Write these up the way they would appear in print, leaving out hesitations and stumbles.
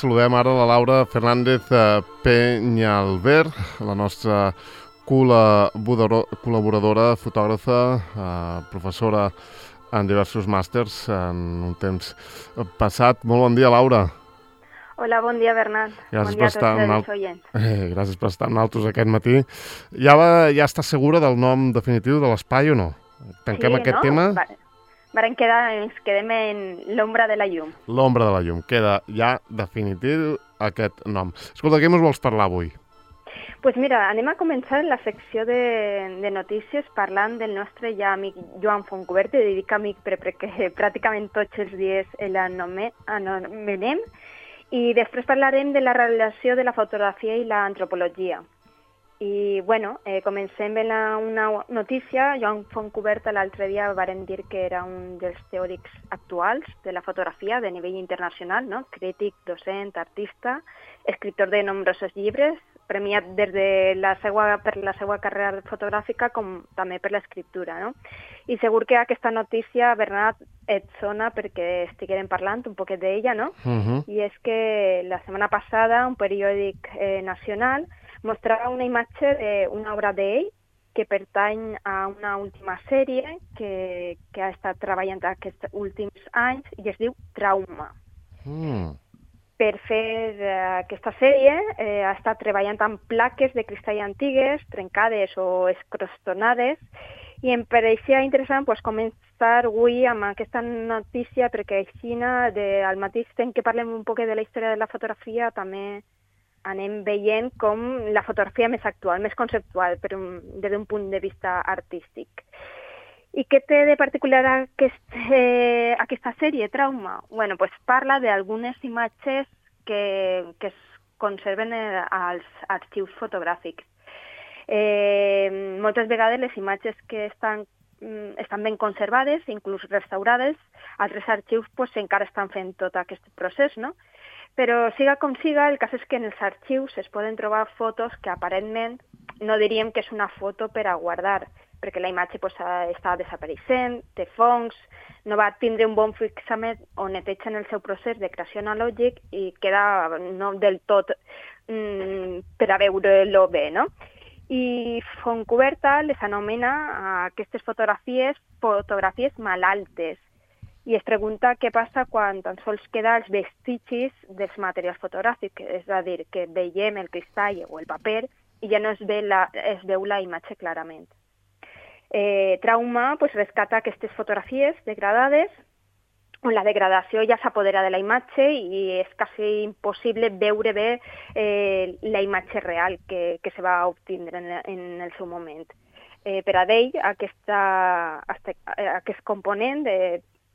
Saludem ara la Laura Fernández Peñalver, la nostra col·laboradora, fotògrafa, professora en diversos màsters en un temps passat. Molt bon dia, Laura. Hola, bon dia, Bernat. Gràcies bon dia a tots els oients. Gràcies per estar amb nosaltres aquest matí. Ja està segura del nom definitiu de l'espai o no? Tanquem aquest tema? Ens quedem en l'ombra de la llum. L'ombra de la llum. Queda ja definitiu aquest nom. Escolta, què ens vols parlar avui? Pues mira, anem a començar la secció de notícies parlant del nostre ja amic Joan Fontcuberta, i dic amic perquè pràcticament tots els dies l'anomenem, i després parlarem de la relació de la fotografia i l'antropologia. I, comencem amb una notícia. Joan Fontcuberta l'altre dia varen dir que era un dels teòrics actuals de la fotografia de nivell internacional, no? Crític, docent, artista, escriptor de nombrosos llibres, premiat des de per la seva carrera fotogràfica com també per l'escriptura, no? I segur que aquesta notícia, Bernat, et sona perquè estiguérem parlant un poquet d'ella, no? I és que la setmana passada un periòdic nacional mostrava una imatge d'una obra d'ell que pertany a una última sèrie que ha estat treballant aquests últims anys i es diu Trauma. Per fer aquesta sèrie ha estat treballant amb plaques de cristall antigues, trencades o escrostonades, i em pareixia interessant començar avui amb aquesta notícia perquè així al mateix temps que parlem un poc de la història de la fotografia també anem veient com la fotografia més actual, més conceptual, però des d'un punt de vista artístic. I què té de particular aquesta sèrie, Trauma? Parla d'algunes imatges que es conserven als arxius fotogràfics. Moltes vegades les imatges que estan ben conservades, inclús restaurades, altres arxius encara estan fent tot aquest procés, no? Però siga com siga, el cas és que en els arxius es poden trobar fotos que aparentment no diríem que és una foto per a guardar, perquè la imatge està desapareixent, té fongs, no va tindre un bon fixament o neteja en el seu procés de creació analògic i queda no del tot per a veure-lo bé, no? I Fontcuberta les anomena aquestes fotografies malaltes, i es pregunta què passa quan tan sols queda els vestigis dels materials fotogràfics, és a dir, que veiem el cristall o el paper i ja no es veu la imatge clarament. Trauma rescata aquestes fotografies degradades on la degradació ja s'apodera de la imatge i és quasi impossible veure bé la imatge real que se va obtindre en el seu moment. Per a ell, aquest component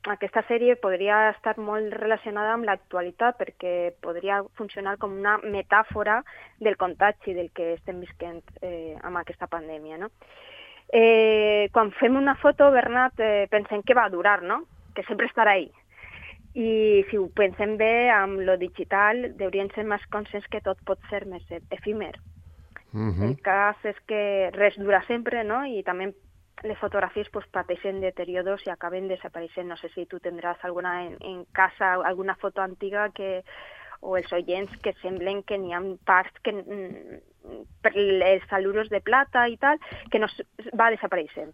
aquesta sèrie podria estar molt relacionada amb l'actualitat perquè podria funcionar com una metàfora del contagi del que estem visquent amb aquesta pandèmia, no? Quan fem una foto, Bernat, pensem que va durar, no? Que sempre estarà ahí. I si ho pensem bé, amb lo digital, hauríem ser més conscients que tot pot ser més efímer. El cas és que res dura sempre, no? I també les fotografies pateixen deterioros i acaben desapareixent. No sé si tu tindràs alguna en casa, alguna foto antiga o els oients que semblen que n'hi ha parts que per els salures de plata i tal, que no va desapareixent.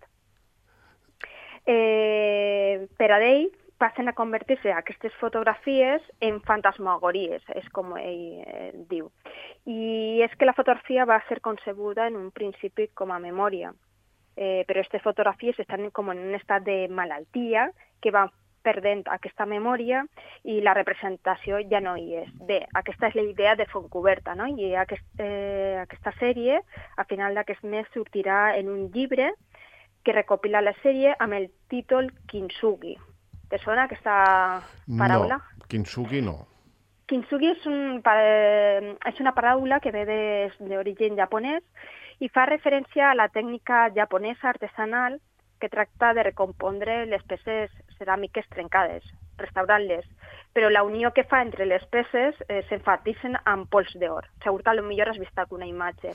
Per a ell passen a convertir-se aquestes fotografies en fantasmagories, és com ell diu. I és que la fotografia va ser concebuda en un principi com a memòria, però aquestes fotografies estan com en un estat de malaltia que van perdent aquesta memòria i la representació ja no hi és. Bé, aquesta és la idea de Fontcuberta, no? I aquesta sèrie, a final d'aquest mes, sortirà en un llibre que recopila la sèrie amb el títol Kintsugi. Te sona aquesta paraula? No, Kintsugi no. Kintsugi és una paraula que ve d'origen japonès i fa referència a la tècnica japonesa artesanal que tracta de recompondre les peces ceràmiques trencades, restaurant-les. Però la unió que fa entre les peces s'enfatitzen amb pols d'or. Segur que potser has vist alguna imatge.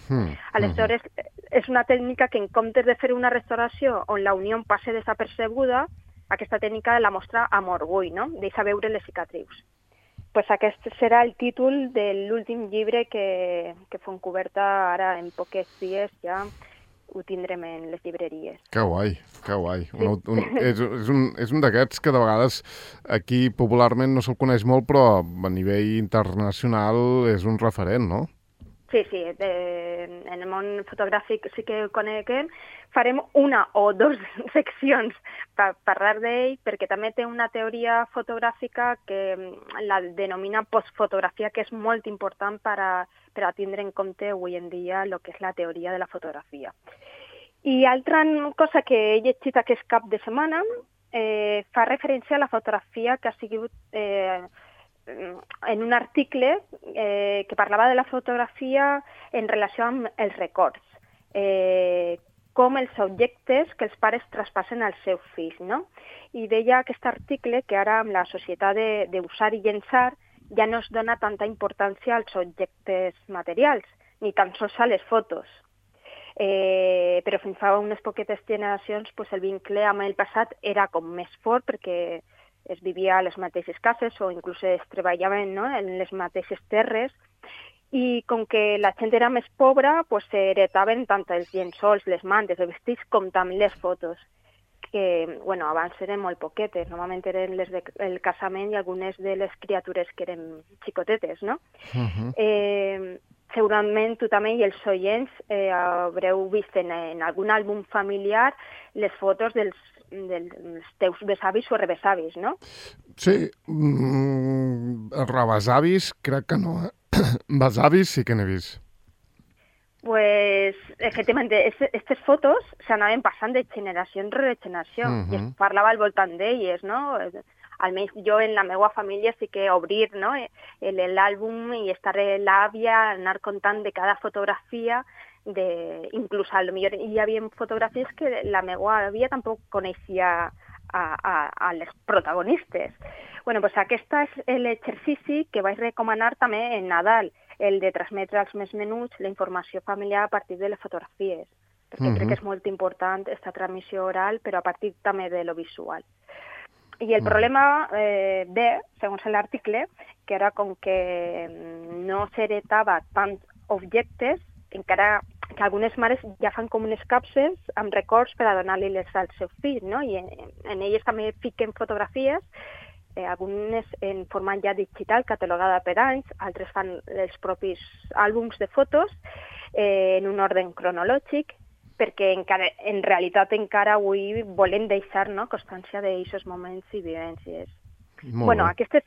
Aleshores, és una tècnica que en comptes de fer una restauració on la unió passa desapercebuda, aquesta tècnica la mostra amb orgull, no? Deixa veure les cicatrius. pues aquest serà el títol de l'últim llibre que Fontcoberta ara en pocs dies ja ho tindrem en les llibreries. Que guai, que guai. Sí. És un d'aquests que de vegades aquí popularment no se'l coneix molt, però a nivell internacional és un referent, no? Sí, en el món fotogràfic sí que ho coneguem. Farem una o dos seccions per parlar d'ell, perquè també té una teoria fotogràfica que la denomina postfotografia, que és molt important per a tindre en compte avui en dia el que és la teoria de la fotografia. I altra cosa que he llegit aquest cap de setmana fa referència a la fotografia que ha sigut en un article que parlava de la fotografia en relació amb els records, com els objectes que els pares traspassen als seus fills, no? I deia aquest article que ara amb la societat d'usar i llençar ja no es dona tanta importància als objectes materials, ni tan sols a les fotos. Però fins fa unes poquetes generacions pues, el vincle amb el passat era com més fort perquè es vivia a les mateixes cases o inclús es treballaven, no?, en les mateixes terres, i com que la gent era més pobra, pues, heretaven tant els llençols, les mantes, els vestits, com també les fotos, que bueno, abans eren molt poquetes, normalment eren les del casament i algunes de les criatures que eren xicotetes, no? Segurament tu també i els oients haureu vist en algun àlbum familiar les fotos dels teus besavis o rebesavis, no? Sí, rebesavis crec que no, besavis sí que n'he vist. Pues, efectivamente, aquestes fotos s'anaven passant de generació en generació i es parlava al voltant d'elles, no? Almenys jo en la meva família sí que obrir, no?, l'àlbum i estar l'àvia, anar contant de cada fotografia, inclús potser hi havia fotografies que la meva àvia tampoc coneixia a les protagonistes. Bueno, pues aquest és l'exercici que vaig recomanar també en Nadal, el de transmetre als més menuts la informació familiar a partir de les fotografies, perquè crec que és molt important aquesta transmissió oral, però a partir també de lo visual. I el problema ve, segons l'article, que era com que no s'heretava tants objectes, encara que algunes mares ja fan com unes capses amb records per a donar-li-les als seus fills, no? I en elles també fiquen fotografies, algunes en format ja digital, catalogada per anys, altres fan els propis àlbums de fotos en un ordre cronològic, perquè en realitat encara avui volem deixar, no?, constància d'aquests moments i vivències. Bueno, aquestes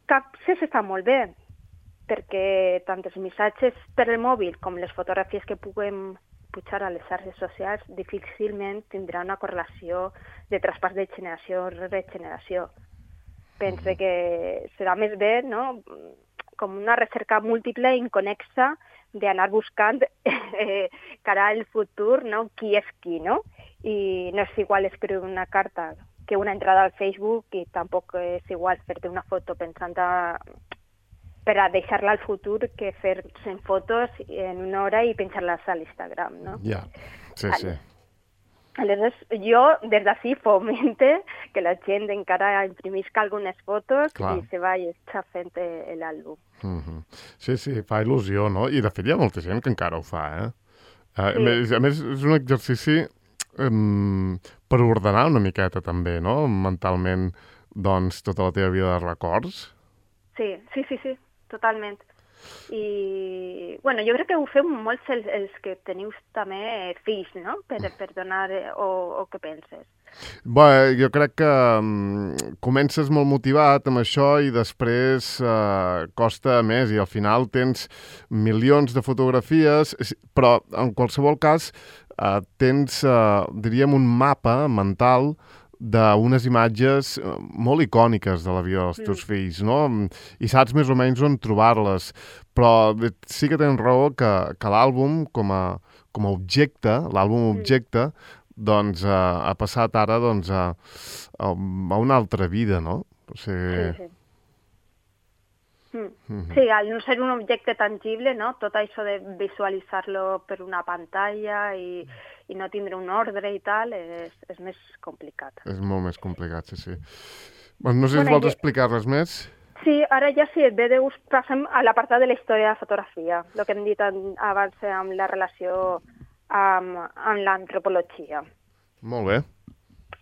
capses estan molt bé, perquè tant els missatges per el mòbil com les fotografies que puguem pujar a les xarxes socials difícilment tindrà una correlació de traspàs de generació rere generació. Pense que serà més bé, no?, com una recerca múltiple i inconexa d'anar buscant cara al futur, no?, qui és qui, no? I no és igual escriure una carta que una entrada al Facebook i tampoc és igual fer-te una foto pensant per a deixar-la al futur que fer 100 fotos en una hora i penjar-les a l'Instagram, no? Ja, sí, sí. Aleshores, jo des d'ací fomente que la gent encara imprimisca algunes fotos i se vagi fent l'àlbum. Sí, sí, fa il·lusió, no? I de fet hi ha molta gent que encara ho fa, eh? A més, és un exercici per ordenar una miqueta també, no? Mentalment, doncs, tota la teva vida de records. Sí, totalment. I, bueno, jo crec que ho feu molts els que teniu també fills, no?, per donar, o què penses? Bé, jo crec que comences molt motivat amb això i després costa més i al final tens milions de fotografies, però en qualsevol cas tens, diríem, un mapa mental d'unes imatges molt icòniques de la vida dels teus fills, no? I saps més o menys on trobar-les. Però sí que tens raó que l'àlbum com a objecte, l'àlbum objecte, doncs ha passat ara doncs, a una altra vida, no? O sigui... Sí, al no ser un objecte tangible, no?, tot això de visualitzar-lo per una pantalla i no tindre un ordre i tal és més complicat. És molt més complicat, sí. Bueno, no sé si vols explicar res més. Sí, ara ja si et ve de gust passem a l'apartat de la història de la fotografia, el que hem dit abans amb la relació amb l'antropologia. Molt bé.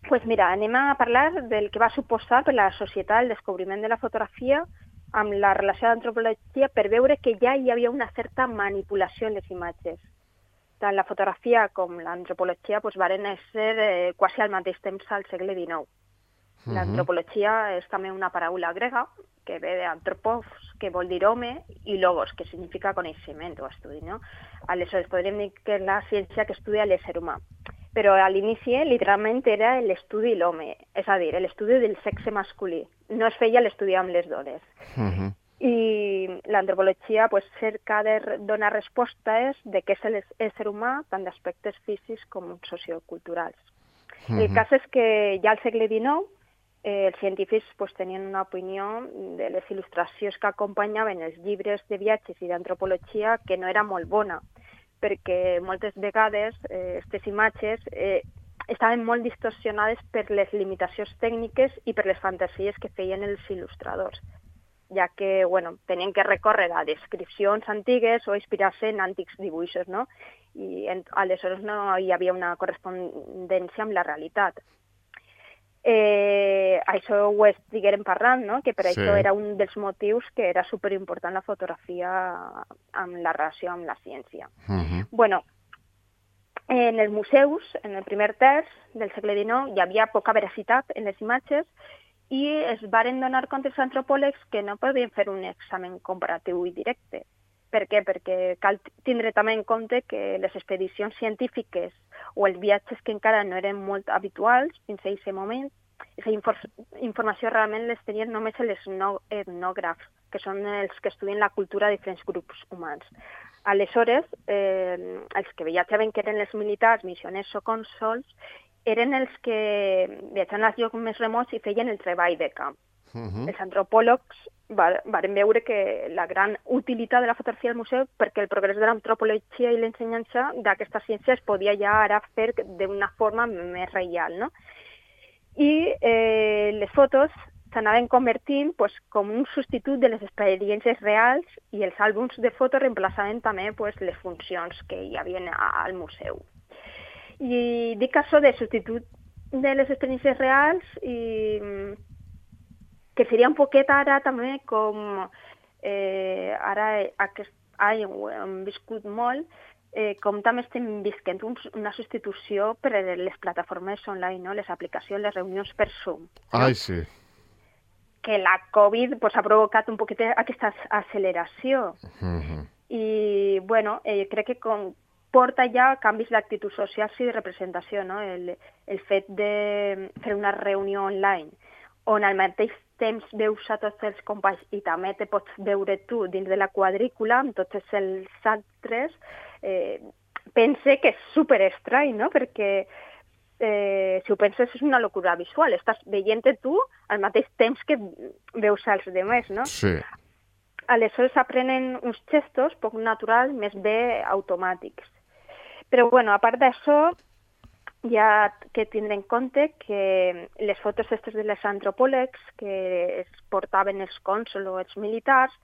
Pues mira, anem a parlar del que va suposar per la societat el descobriment de la fotografia amb la relació de l'antropologia per veure que ja hi havia una certa manipulació en les imatges. Tant la fotografia com l'antropologia pues, varen ser quasi al mateix temps al segle XIX. L'antropologia és també una paraula grega que ve d'antropos, que vol dir home, i logos, que significa coneixement o estudi, no? Aleshores, podríem dir que és la ciència que estudia l'ésser humà. Però a l'inici, literalment, era l'estudi de l'home, és a dir, l'estudi del sexe masculí. No es feia l'estudi amb les dones. I l'antropologia pues, cerca de donar respostes de què és l'ésser humà, tant d'aspectes físics com socioculturals. El cas és que ja al segle XIX els científics pues, tenien una opinió de les il·lustracions que acompanyaven els llibres de viatges i d'antropologia que no era molt bona, perquè moltes vegades aquestes imatges estaven molt distorsionades per les limitacions tècniques i per les fantasies que feien els il·lustradors, ja que bueno, tenien que recórrer a descripcions antigues o inspirar-se en antics dibuixos, no? I aleshores no hi havia una correspondència amb la realitat. Això ho estiguérem parlant, no? Que per això era un dels motius que era superimportant la fotografia amb la relació amb la ciència. Bueno, en els museus, en el primer terç del segle XIX, hi havia poca veracitat en les imatges i es varen donar compte els antropòlegs que no podien fer un examen comparatiu i directe. Per què? Perquè cal tindre també en compte que les expedicions científiques o els viatges que encara no eren molt habituals fins a aquest moment, aquesta informació realment les tenien només els etnògrafs, que són els que estudien la cultura de diferents grups humans. Aleshores, els que viatjaven, que eren els militars, missioners o cònsols, eren els que viatjaven als llocs més remots i feien el treball de camp. Els antropòlegs varen veure que la gran utilitat de la fotografia al museu perquè el progrés de l'antropologia i l'ensenyança d'aquesta ciència es podia ja ara fer d'una forma més real, no? I les fotos s'anaven convertint pues, com un substitut de les experiències reals i els àlbums de fotos reemplaçaven també pues, les funcions que hi havia al museu. I dic això de substitut de les experiències reals i que seria un poquet ara també com ara aquest any ho hem viscut molt, com també estem visquent una substitució per a les plataformes online, no? Les aplicacions, les reunions per Zoom. No? Ai, sí. Que la Covid pues, ha provocat un poquet aquesta acceleració. I, bueno, crec que porta ja canvis d'actitud social i de representació, no? El fet de fer una reunió online on al mateix temps veus a tots els companys i també te pots veure tu dins de la quadrícula amb tots els altres, pense que és superestrany, no? Perquè si ho penses és una locura visual, estàs veient-te tu al mateix temps que veus als demés, no? Sí. Aleshores aprenen uns gestos poc naturals, més bé automàtics. Però, bueno, a part d'això, hi ha que tindre en compte que les fotos aquestes de les antropòlegs que es portaven els cònsols o els militars,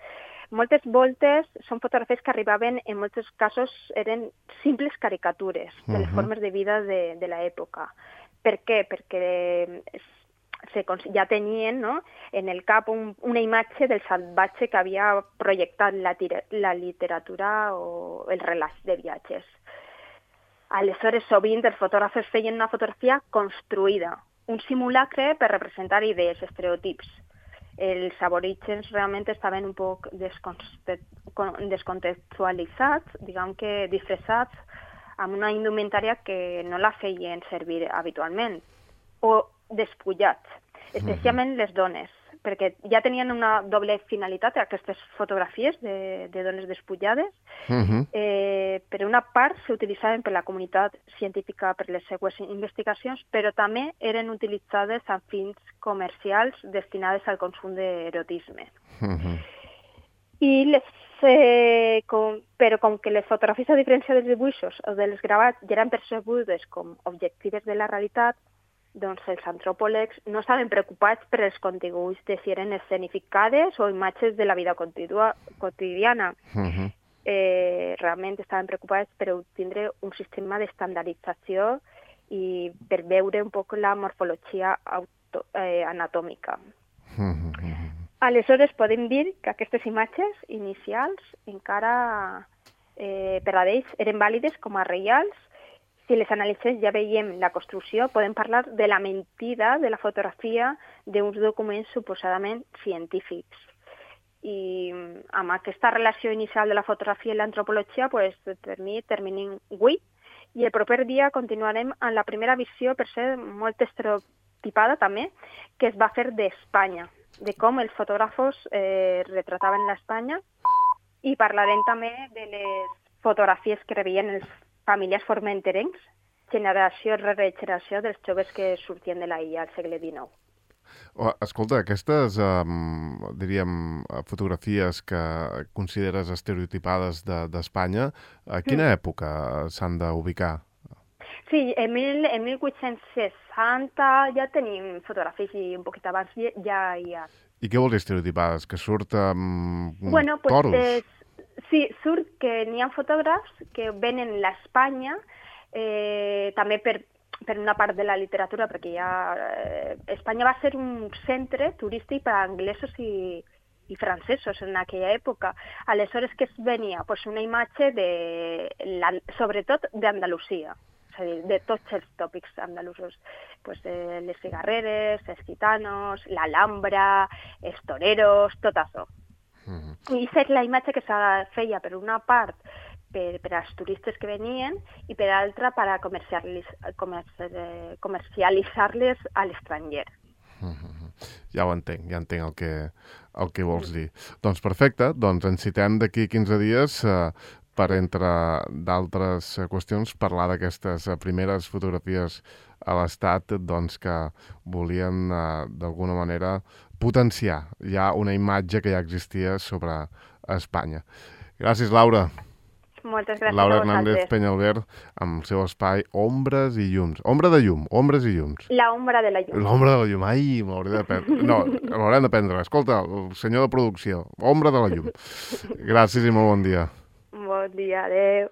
moltes voltes són fotografies que arribaven, en molts casos eren simples caricatures de les formes de vida de l'època. Per què? Perquè ja tenien, no, en el cap una imatge del salvatge que havia projectat la literatura o els relats de viatges. Aleshores, sovint, els fotògrafs feien una fotografia construïda, un simulacre per representar idees, estereotips. Els aborígens realment estaven un poc descontextualitzats, diguem que disfressats, amb una indumentària que no la feien servir habitualment, o despullats, especialment les dones, perquè ja tenien una doble finalitat aquestes fotografies de dones despullades. Per una part s'utilitzaven per la comunitat científica per les seues investigacions, però també eren utilitzades amb fins comercials destinades al consum d'erotisme. Però com que les fotografies, a diferència dels dibuixos o dels gravats, ja eren percebudes com objectives de la realitat, doncs els antropòlegs no estaven preocupats per els continguts de si eren escenificades o imatges de la vida quotidiana. Realment estaven preocupats per obtindre un sistema d'estandardització i per veure un poc la morfologia anatòmica. Aleshores podem dir que aquestes imatges inicials encara per a ells eren vàlides com a reals. Si les analitzem ja veiem la construcció, podem parlar de la mentida de la fotografia d'uns documents suposadament científics. I amb aquesta relació inicial de la fotografia i l'antropologia, terminem avui, i el proper dia continuarem amb la primera visió, per ser molt estereotipada també, que es va fer d'Espanya, de com els fotògrafos retrataven l'Espanya, i parlarem també de les fotografies que rebien els familiars formenterencs, generació rere generació dels joves que sortien de la illa al segle XIX. Escolta, aquestes, diríem, fotografies que consideres estereotipades d'Espanya, a quina època s'han d'ubicar? Sí, en 1860 ja tenim fotografies i un poquet abans ja hi ha. I què vol dir estereotipades? Que surt toros? Sí, surt que n'hi ha fotògrafs que venen a l'Espanya, també per una part de la literatura, perquè Espanya va ser un centre turístic per a anglesos i francesos en aquella època. Aleshores, què es venia? Pues una imatge sobretot d'Andalusia, és a dir, de tots els tòpics andalusos. Pues, les cigarreres, els gitanos, l'Alhambra, els toreros, tot això. I és la imatge que se feia per una part per als turistes que venien i per altra per a comercialitzar-les a l'estranger. Ja ho entenc, el que vols dir. Doncs perfecte, ens citem d'aquí 15 dies per, entre d'altres qüestions, parlar d'aquestes primeres fotografies a l'Estat que volien d'alguna manera potenciar ja una imatge que ja existia sobre Espanya. Gràcies, Laura. Moltes gràcies Laura a vosaltres. Hernández Peñalver, amb el seu espai Ombres i Llums. Ombra de llum, ombres i llums. L'ombra de la llum. L'ombra de la llum. Ai, m'hauré de prendre. No, m'haurem de prendre. Escolta, el senyor de producció, Ombra de la llum. Gràcies i molt bon dia. Bon dia, adeu.